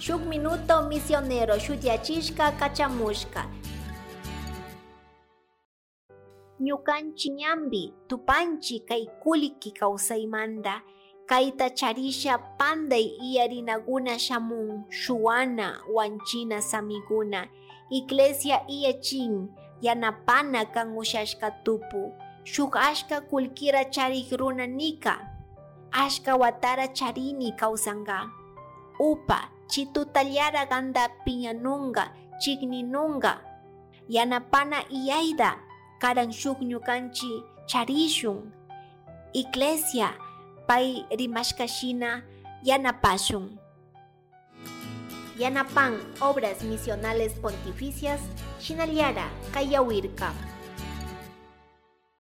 Shuk minuto misionero shutiyachishka kachamushka. Ñukanchi ñambi tupanchi kay kullki kawsaymanta kayta charisha panday iyarinaguna shamun shuwana wanchina samiguna iglesia iyachin yanapana kan ushashka tupu shuk ashka kullkira charik runa nika ashka watara charini kawsanka upa chitutallara kanta piñanunga chikninunga yanapana iyayta karan shuk ñukanchi charishun iglesia pay rimashka shina yanapashun. Yanapan Obras Misionales Pontificias, Shinallara, Kayawirka.